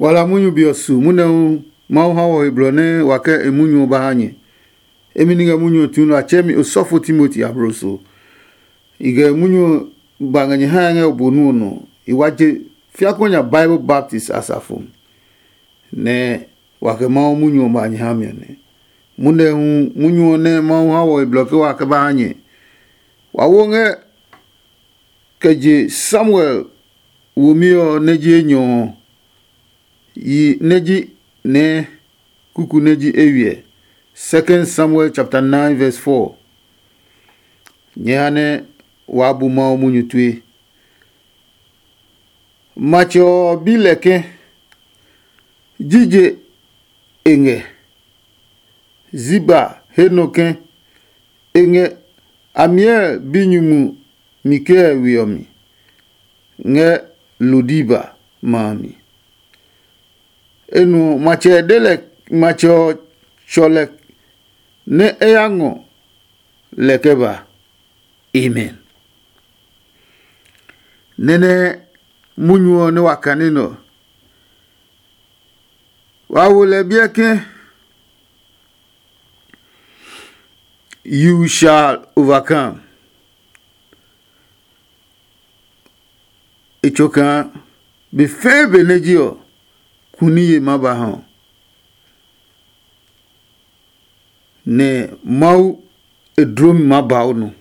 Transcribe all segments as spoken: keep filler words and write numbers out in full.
Wa la munyu be ɔ su, munyu ɔ hu Mawu ha wɔ he blɔ nɛ wa kɛ e munyu ɔ ba ha nyɛ. Emi ni ngɛ munyu ɔ tsu nɛ a tsɛɛ mi osɔfo Timoti abloso. I ngɛ munyu ɔ ba ngɛ nyɛ hae ngɛ o bo nu ɔ nɔ. I wa je fiakuɛ nya Bible baptist asafo mi, nɛ wa kɛ Mawu munyu ɔ ba nyɛ ha mi ɔ nɛ. Munyu ɔ hu munyu ɔ nɛ Mawu ha wɔ he blɔ ke wa kɛ ba ha nyɛ. Wa wo ngɛ kɛ je Samuel womi ɔ nɛ ji enyɔ ɔ, yi nɛ ji nɛɛ kuku nɛ ji eywiɛ. Second Samuel chapter nine verse four. Nyɛ ha nɛ waa bu Mawu munyu tue. Matsɛ ɔ bi lɛ ke, jije e ngɛ? Ziba he nɔ ke, e ngɛ Amiel binyumu Mikael we ɔ mi ngɛ Lodiba ma a mi. E nu ɔ, matsɛ de lɛ, matsɛ ɔ tsɔ lɛ nɛ e ya ngɔ lɛ kɛ ba. Amen. Nɛnɛ munyu ɔ nɛ wa kane nɛ ɔ, wa wo lɛ biɛ ke, you shall overcome. E tsɔ kaa be fɛɛ be nɛ ji ɔ, kuniye ma ba ha ɔ, nɛ Mawu e dlomi maa ba o nɔ.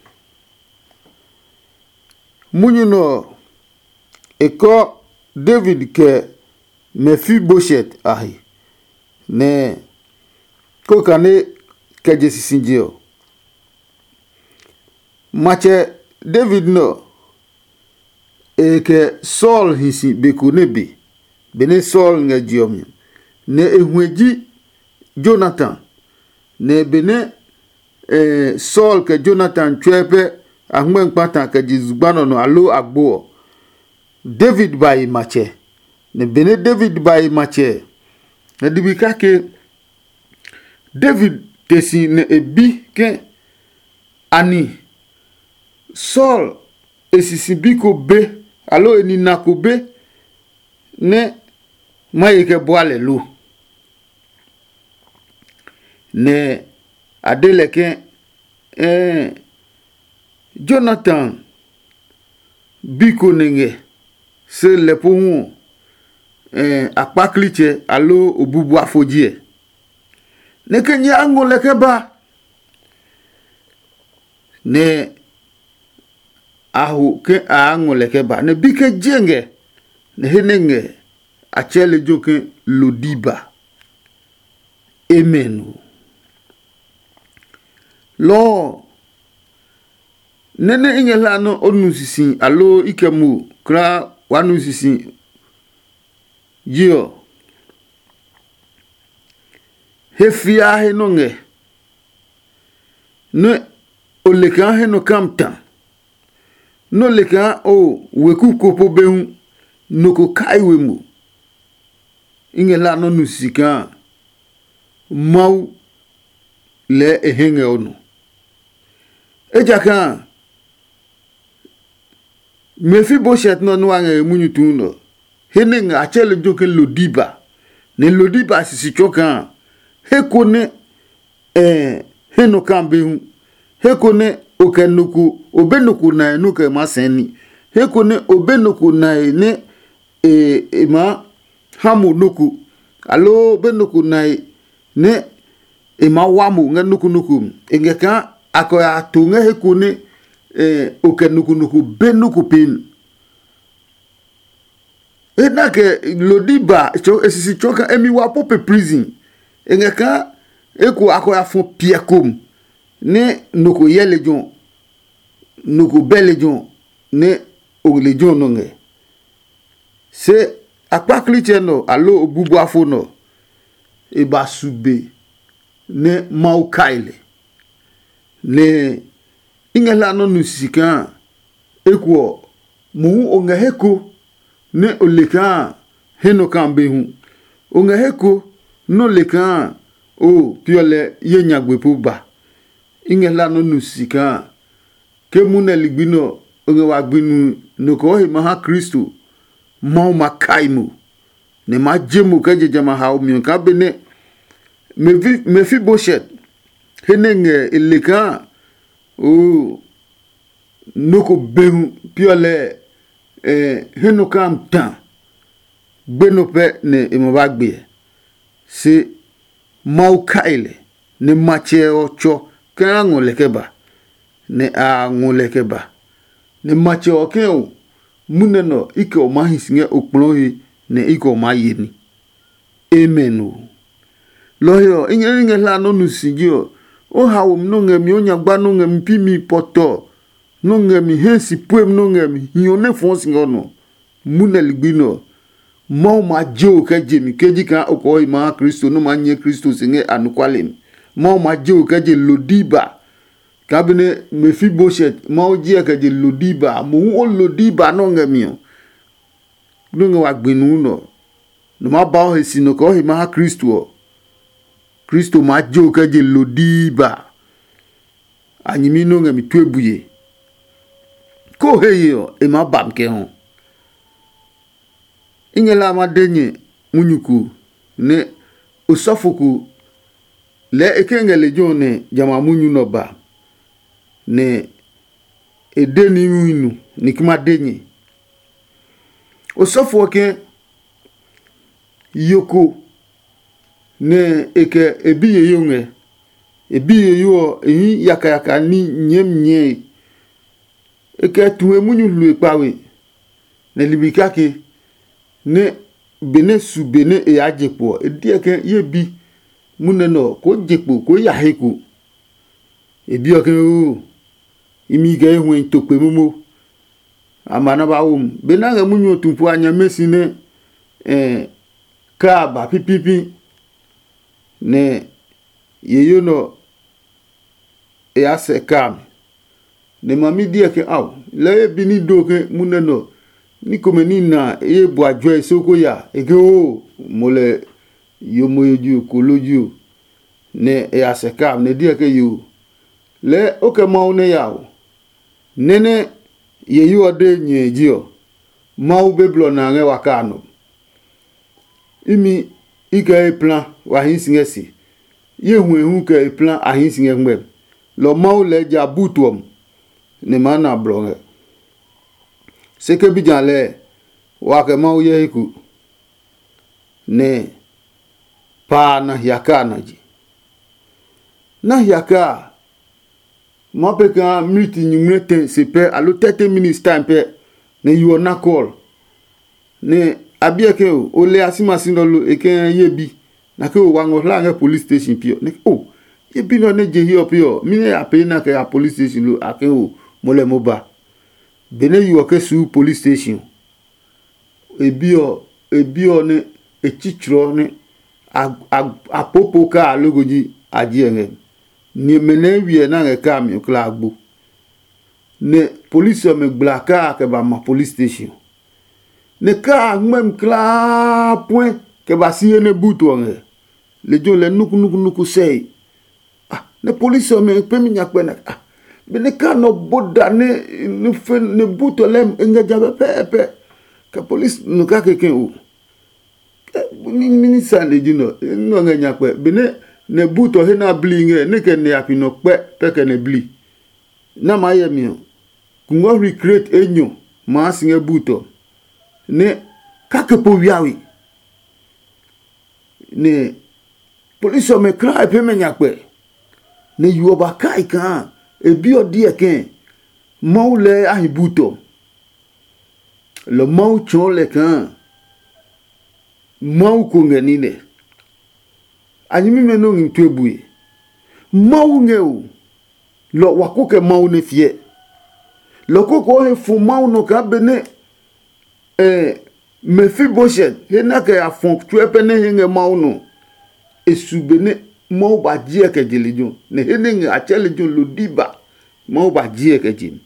Munyu nɛ ɔ, e kɔ David kɛ Mefiboshet a he, nɛ kó kane kɛ je sisije ɔ. Matsɛ David nɛ ɔ, e kɛ Saul hi si be ko nɛ be, benɛ Saul ngɛ je ɔ mi, nɛ e huɛ ji Jonatan. Nɛ benɛ Saul kɛ Jonatan tsuɛ pɛ a ngmɛ́ kpata kɛ je zugba nɔ nɔ aloo agbo ɔ, David ba e matsɛ. Nɛ benɛ David ba e matsɛ ɔ, nɛ ligbi kake David te si nɛ e bi ke, ani Saul e sisi bi ko be, aloo e nina ko be nɛ ma ye kɛ bua lɛ lo? Nɛ a de lɛ ke, ɛɛ, Jonatan bi ko nɛ ngɛ, se lɛ pohu ɔ, ɛɛ, a kpaklitsɛ aloo obubuafo ji ɛ. Nɛ kɛ nyɛ a ngɔ lɛ kɛ ba, nɛ a ho ke a ngɔ lɛ kɛ ba, nɛ bi ke je ngɛ, nɛ he nɛ ngɛ a tsɛ lejɛ ke Lodiba. Amen o. Lɔɔ nɛ nɛ i ngɛ hla nɔ o nu sisi aloo i kɛ mo kulaa wa nu sisi ji ɔ, he fiaa he nɔ ngɛ, nɛ o le kaa he nɔ kam ta, nɛ o le kaa o weku ko po be hu, nɔ ko kai we mo. I ngɛ hla nɔ nu sisi kaa Mawu lɛɛ e hɛ ngɛ o nɔ. Ejakaa Mefiboshet nɔ nua ngɛ e munyu tuu nɔ, he nɛ ngɛ a tsɛ lejɛ ke Lodiba, nɛ Lodiba sisi tsɔ kaa he ko nɛ ɛɛ he nɔ kaa be hu, he ko nɛ o kɛ nɔ ko o be nɔ ko nae nɔ kɛ ma sɛɛ ni, he ko nɛ o be nɔ ko nae nɛ e e maa ha mo nɔ ko, aloo o be nɔ ko nae nɛ e maa wa mo ngɛ nɔ ko nɔ ko mi. E ngɛ kaa a kɛ ya to ngɛ he ko nɛ o kɛ nɔ ko nɔ ko be nɔ ko pee mi. E na kɛ Lodiba e sisi tsɔɔ kaa e mi wa po pe prison. E ngɛ kaa eko a kɛ ya fɔ piɛ kom nɛ nɔ ko hyɛ lejɛ ɔ, nɔ ko bɛ lejɛ ɔ, nɛ o lejɛ ɔ nɔ ngɛ. Se akpaklitsɛ nɔ aloo obubuafo nɔ, e ba su be nɛ Mawu kai lɛ. Nɛ i ngɛ hla nɔ́ nu sisi kaa eko ɔ, mohu o ngɛ he ko nɛ o le kaa he nɔ kaa be hu. O ngɛ he ko nɛ o le kaa o piɔ lɛ ye nyagbe po ba. I ngɛ hla nɔ́ nu sisi kaa ke munɛ ligbi nɛ ɔ, o ngɛ wa gbi nui nɔ kɔɔ he ma ha Kristo, Mawu ma kai mo. nɛ ma je mo kɛ je jamɛ a haomi ɔ kaa benɛ Mefi- Mefiboshet he nɛ ngɛ e le kaa oo nɔ́ ko be hu piɔ lɛ he nɔ kaa ta gbe nɔ pɛ nɛ e ma ba gbeɛ. Se Mawu kai lɛ, nɛ matsɛ ɔ tsɔ kaa ngɔ lɛ kɛ ba, nɛ a ngɔ lɛ kɛ ba. Nɛ matsɛ ɔ kɛ o, munɛ nɔ i kɛ o maa hi si ngɛ okplɔɔ he, nɛ i kɛ o maa ye ní. Amen o. Lɔ ɔ he ɔ, i ngɛ nɛ ngɛ hla nɔ́ nu si ji ɔ, o haomi nɔ́ ngɛ mi, o nyagba nɔ́ ngɛ mi, pi mi pɔtɔ nɔ́ ngɛ mi, hɛ si puem nɔ́ ngɛ mi, hiɔ nɛ fɔɔ si ngɛ o nɔ. Munɛ ligbi nɛ ɔ, Mawu ma je o kɛ je mi ke ji kaa o kɔɔ he ma ha Kristo nɛ o maa nyɛ Kristo se ngɛ anɔkuale mi. Mawu ma je o kɛ je Lodiba. Kaa benɛ Mefiboshet Mawu jiɛ kɛ je Lodiba, mohu o Lodiba nɛ o ngɛ mi ɔ, nɛ o ngɛ wa gbi nuu nɛ ɔ, nɔ maa ba o he si nɔ kɛ o he ma ha Kristo ɔ, Kristo maa je o kɛ je Lodiba. A nyɛmi nɛ o ngɛ mi tue bue. Ke o he ye ɔ, e maa ba mi kɛ hɔ. I ngɛ la ma de nyɛ munyu ko nɛ osɔfo ko lɛɛ e ke ngɛ lejɛ ɔ nɛ jamɛ a munyu nɛ ɔ ba, nɛ e de níhi nu ni kuma de nyɛ. Osɔfo ɔ ke yo ko nɛ e kɛ e bi yeye ɔ ngɛ. E bi yeye ɔ, e hii yakayaka ní nyɛɛmi nyɛe. E kɛ tu he munyu hlue kpawe, nɛ ligbi kake nɛ benɛ su be nɛ e yaa je kpo ɔ, e deɔ ke ye bi munɛ nɛ ɔ koo je kpo koo ya he ko. E bi ɔ ke oo, imi kɛ ye huɛi to kpe momo. A ma na ba wo mu. Benɛ a ngɛ munyu ɔ tu po a nyɛmɛ si nɛ kaa ba pipipi, nɛ yeye nɛ ɔ e ya sɛ kaa mi. Nɛ ma mi diɛ ke ao, lɛɛ ye bi ní do ke munɛ nɛ ɔ, ní komɛ ní na e ye bua juɛ so ko ya e ke oo mo lɛ yo mo yo ji o kolo ji o. Nɛ e ya sɛ kaa mi nɛ diɛ ke yoo, lɛɛ o kɛ Mawu nɛ ya o. Nɛ́ nɛ yeye ɔ de nyɛe ji ɔ, Mawu be blɔ na ngɛ wa kaa nɔ. Imi i kɛ ye pla wa hii si ngɛ se. Ye huɛ hu kɛ e pla a hii si ngɛ ngmɛmi. Lɔ Mawu lɛɛ ja butu ɔ mu, nɛ maa na blɔ ngɛ. Se ke bi ja lɛɛ, wa kɛ Mawu hyɛ he ko, nɛ pa a na hiakaa na je. Na hiakaa a, ma pɛ kaa miniti nyingmlɛ tɛ se pɛ aloo thirty minutes time pɛ, nɛ yo ɔ na call. Nɛ a biɛ ke o, o le a si ma si nɔ lo e kɛ ye bi, na ke o wa ngɔ hla ngɛ police station pi ɔ. Nɛ o ye bi nɔ nɛ je hiɛ ɔ pi ɔ, mi nɛ a pee na kɛ ya police station lo a ke o mo lɛ mo ba. Benɛ yo ɔ ke suu police station ɔ, e bi ɔ e bi ɔ nɛ e tsitsrɔ nɛ a a a popo kaa loko ji a ji ɛ ngɛ. Ni mɛ nɛ wiɛ na ngɛ kaa mi kla gbo. Nɛ polisi ɔmɛ gbla kaa kɛ ba ma police station. Nɛ kaa ngmɛmi klaa puɛ kɛ ba si he nɛ butu ɔ ngɛ. Lejɛ ɔ lɛ nukunukunuku sɛe. Ah, nɛ polisi ɔmɛ pɛmi nya kpɛ na ah, benɛ kaa nɔ bo da nɛ nɛ fe nɛ butu ɔ lɛ e ngɛ ja pɛpɛɛpɛ. Kɛ polisi nu ka keke o. Minisa ne ji nɔ nɔ ngɛ nya kpɛ benɛ nɛ butu ɔ he na bli ngɛ nɛ kɛ nɛ a pi nɔ kpɛ pɛ kɛ nɛ bli. Na maa yɛ mi ɔ, kungwɔ hri kret enyɔ maa si ngɛ butu ɔ, nɛ kake po wiawe. Nɛ polisi ɔmɛ klaa e pɛ mɛ nya kpɛ, nɛ yo ɔ ba kai kaa e bi ɔ diɛ kɛɛ Mawu lɛɛ a hi bu tɔ. Lɔ Mawu tsɔɔ lɛ kaa Mawu ko ngɛ ní nɛ. A nyɛmimɛ nɛ o ngmi tue bue. Mawu ngɛ o, lɔ wa ko kɛ Mawu nɛ fiɛ. Lɔ ko ko he fu Mawu nɔ kaa benɛ eh, Mefiboshet he na kɛ ya fɔ tsuɛ pɛ nɛ he ngɛ Mawu nɔ. E su be nɛ Mawu ba jiɛ kɛ je lejɛ ɔ, nɛ he nɛ ngɛ a tsɛ lejɛ ɔ Lodiba, Mawu ba jiɛ kɛ je mi.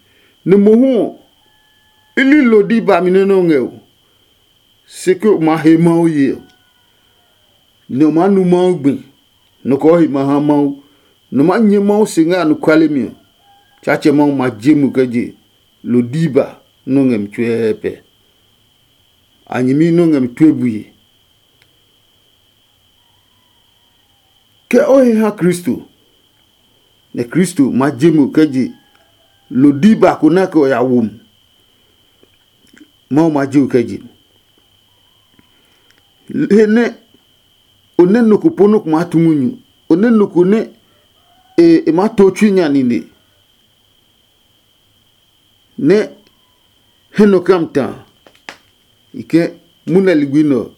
Nɛ mohu ɔ, i li Lodiba mi nɛ nɛ o ngɛ o. Se ke o maa he Mawu ye ɔ, nɛ o maa nu Mawu gbi, nɔ kɔɔ he ma ha Mawu, nɔ maa nyɛ Mawu se ngɛ anɔkuale mi ɔ, Tsaatsɛ Mawu ma je mo kɛ je Lodiba nɔ́ ngɛ mi tsuɛɛpɛ. A nyɛmi nɔ́ ngɛ mi tue bue. Ke o he ha Kristo, nɛ Kristo ma je mo kɛ je Lodiba ko nɛ a kɛ ɔ ya wo mi. Mawu ma je o kɛ je. He nɛ o nɛ nɔ ko po nɔ ko maa tu munyu, o nɛ nɔ ko nɛ e e maa to tsui nya nine, nɛ he nɔ kam ta a, i ke munɛ ligbi nɛ ɔ,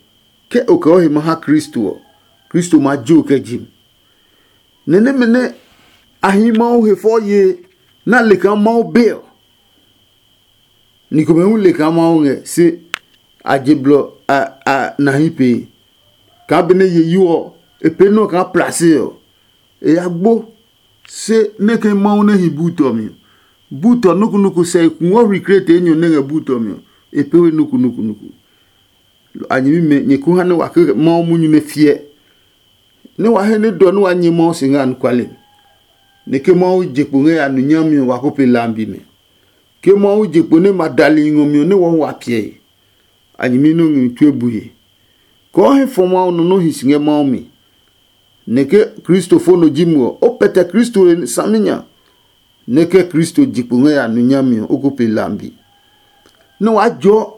ke o kɛ o he ma ha Kristo ɔ, Kristo ma je o kɛ je mi. Nɛ nɛmɛ nɛ a hii Mawu he fɔ ye nɛ a le kaa Mawu be ɔ, ni komɛ hu le kaa Mawu ngɛ, se a je blɔ a a na hi pee. Kaa benɛ ye yu ɔ, e pee nɔ́ kaa plase ɔ, e ya gbo. Se nɛ ke Mawu nɛ hi buu tɔ mi ɔ, buu tɔ nukunuku sɛ e kuɔ hwi krete enyɔ nɛ ngɛ buu tɔ mi ɔ, e pee we nukunukunuku. A nyɛmimɛ, nyɛ ko ha nɛ wa ke Mawu munyu nɛ fiɛ, nɛ wa he nɛ dɔ nɛ wa nyɛ Mawu se ngɛ anɔkuale mi. Nɛ ke Mawu je kpo ngɛ ya nu nyami ɔ, wa ko pe lambi mɛ. Ke Mawu je kpo nɛ ma dali ngɔ mi ɔ, nɛ wɔɔ wa piɛe. A nyɛmi nɛ o ngɛ mi tue bue. Kɔɔ hɛ fɔ Mawu nɔ nɛ o hi si ngɛ Mawu mi. Nɛ ke Kristo fo nɔ ji mo ɔ, o pɛtɛ Kristo he saminya. Nɛ ke Kristo je kpo ngɛ ya nu nyami ɔ, o ko pe lambi. Nɛ waa jɔɔ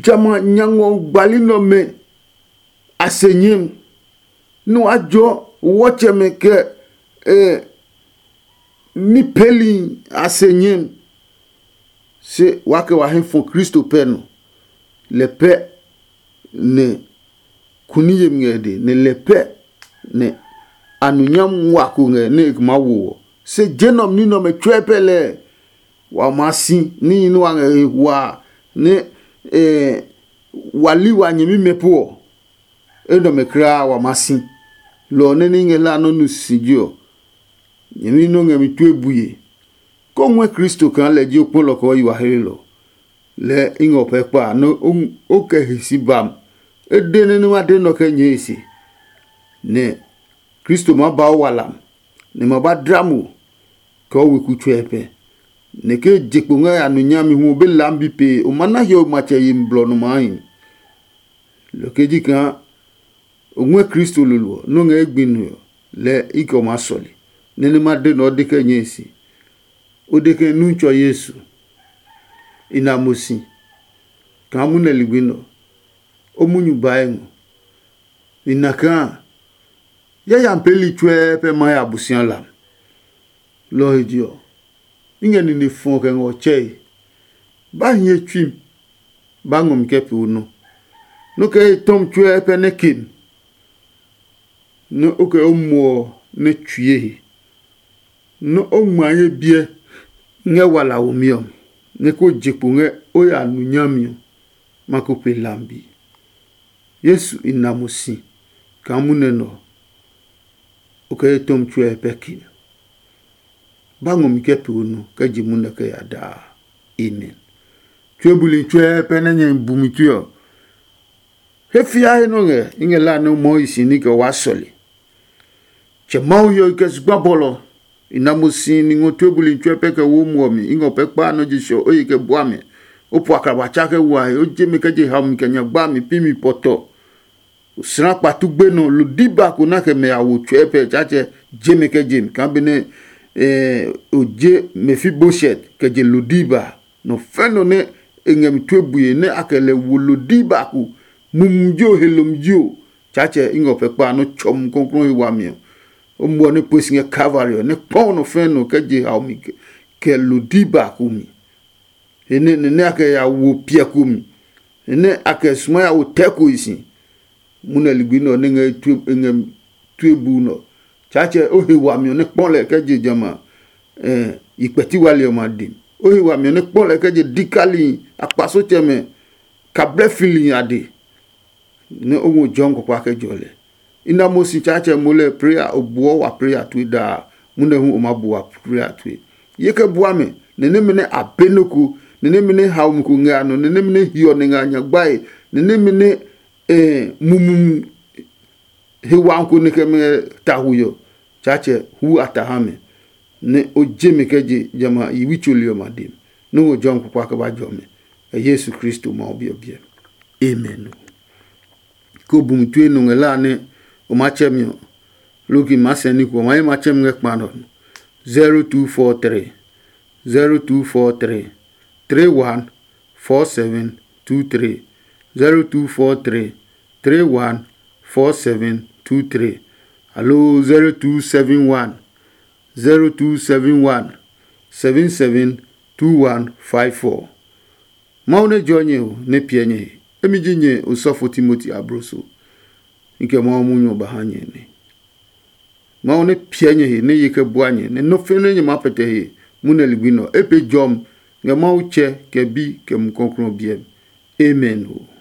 jamɛ a nya ngɔ gbali nɛ ɔmɛ a se nyɛmi, nɛ waa jɔɔ wɔtsɛmɛ kɛ e ní peeli a se nyɛmi. Se waa kɛ wa hɛ fɔ Kristo pɛ nɔ, lɛ pɛ nɛ kuni yemi ngɛ de, nɛ lɛ pɛ nɛ a nu nyami wa ko ngɛ nɛ e maa wo ɔ. Se je nɛ ɔ ní nɛ ɔmɛ tsuɛ pɛ lɛɛ wa maa si níhi nɛ wa ngɛ he hua nɛ wa li wa nyɛmimɛ po ɔ, enɛ ɔmɛ kulaa wa maa si. Lɔ ɔ nɛ ní ngɛ hlaa nɔ́ nu sisi ji ɔ, nyɛmi nɔ́ ngɛ mi tue bue. Kó ngɔɛ Kristo kaa lɛ ji o kpɔlɔ kɛ o yi wa hlelɔ. Lɛɛ i ngɛ o pɛ kpa a nɛ o kɛ he si ba mo. E de nɛ nɛ ma de nɔ kɛ nyɛɛ e se, nɛ Kristo maa ba o walam, nɛ ma ba dla mo kɛ o weku tsuɛ pɛ. Nɛ ke je kpo ngɛ ya nu nyami hu o be laami bi pee o ma na hiɔwe matsɛ yemi blɔ nɔ maa hi. Lɔ kɛ ji kaa o ngɔɛ Kristo lolo ɔ nɔ́ ngɛ e gbi nue ɔ, lɛɛ i kɛ o maa sɔle, nɛ nɛ ma de nɛ o de kɛ nyɛe se. O de ke nu tsɔ Yesu, i na mo si kaa munɛ ligbi nɛ ɔ, o munyu bae ngɔ. I na kaa yayami peeli tsuɛ pɛ ma ya Abosialam. Lɔ ɔ he je ɔ, i ngɛ nine fɔ kɛ ngɛ ɔ tsɛe. Ba hiɛ tsui mi, ba ngɔ mi kɛ pee o nɔ. Nɔ́ kɛ he tɔmi tsuɛ pɛ nɛ ke mi, nɛ o kɛ o muɔ ɔ nɛ tsue he, nɛ o ngma ye biɛ ngɛ wala womi ɔ mi, nɛ ko je kpo ngɛ o ya nu nyami ɔ, ma ko pe lambi. Yesu i na mo si kaa munɛ nɛ ɔ, o kɛ ye tɔmi tsuɛ pɛ ke mi. Ba ngɔ mi kɛ pee o nɔ kɛ je munɛ kɛ ya daa. Amen. Tue buli tsuɛ pɛ nɛ nyɛ bu mi tue ɔ, he fia he nɔ ngɛ i ngɛ la nɛ o mɔɔ i si ní kɛ waa sɔle. Tsɛ Mawu hiɔwe kɛ zugba bɔlɔ, i na mo si ni ngɔ tue buli tsuɛ pɛ kɛ wo muɔ mi, i ngɔ pɛ kpaa nɔ je sɔ o ye kɛ bua mɛ. O po akraba tsa kɛ wa he, o je mi kɛ je haomi kɛ nyagba mi pi mi pɔtɔ. O sra kpatu gbe nɔ lo diba ko na kɛ mɛ a wo tsɔɛ pɛ Tsaatsɛ je mi kɛ je mi kaa benɛ o je Mefiboset kɛ je lo diba. Nɔ fɛ̃ nɔ nɛ e ngɛ mi tue bue nɛ a kɛ lɛ wo lo diba ko, mumi ji o, helom ji o, Tsaatsɛ i ngɛ o pɛ kpa nɔ́ tsɔ Mumi Klɔuklɔu he wami ɔ. O muɔ nɛ pue si ngɛ Kalvari ɔ, nɛ kpɔ nɔ fɛ̃ nɔ kɛ je haomi kɛ lo diba ko mi. He nɛ nɛ a kɛ ya wo piɛ ko mi, he nɛ a kɛ suma ya wo tɛ ko si. Munɛ ligbi nɛ ɔ nɛ ngɛ tue ngɛ tue bu nɔ. Tsaatsɛ o he wami ɔ nɛ kpɔ lɛ kɛ je jamɛ a yi kpɛti wali ɔmɛ a de. O he wami ɔ nɛ kpɔ lɛ kɛ je dikali akpasotsɛmɛ kablɛ fili a de. Nɛ o ngɔ jɔmi kpakpa kɛ jɔ lɛ. I na mo si Tsaatsɛ mo lɛ prea o buɔ wa prea tue daa, munɛ hu o ma bu wa prea tue. Ye kɛ bua mɛ, nɛ nɛmɛ nɛ a be nɔ ko, nɛ nɛmɛ nɛ haomi ko ngɛ a nɔ, nɛ nɛmɛ nɛ hiɔ nɛ ngɛ a nyagbae, nɛ nɛmɛ nɛ mumumu he wami ko nɛ kɛ mɛ ta hu ɔ, Tsaatsɛ hu a ta ha mɛ, nɛ o je mi kɛ je jamɛ a yi wi tsoli ɔmɛ a demi, nɛ o ngɔ jɔmi kpakpa kɛ ba jɔ mɛ. Kɛ Yesu Kristo Mawu Bi ɔ biɛ. Amen. Ko bumi tue nɔ ngɛ la nɛ O ma tsɛ mi ɔ, loki ma sɛ ní ko, o ma yi ma tsɛ mi ngɛ kpa nɔ. Zero two four three, zero two four three, three one four seven two three, zero two four three, three one four seven two three, alo zero two seven one, zero two seven one, seven seven two one five four. Mawu nɛ jɔ nyɛ ɔ nɛ piɛ nyɛ he. Emi ji nyɛ osɔfo Timoti abloso. Nke Mawu munyu ɔ ba ha nyɛ nɛ. Mawu nɛ piɛ nyɛ he nɛ ye kɛ bua nyɛ nɛ nɔ́ fɛnɛ nyɛ maa pɛtɛ he munɛ ligbi nɛ ɔ. E pe jɔmi ngɛ Mawu Tsɛ kɛ Bi kɛ Mumi Klɔuklɔu biɛ mi. Amen ɔ.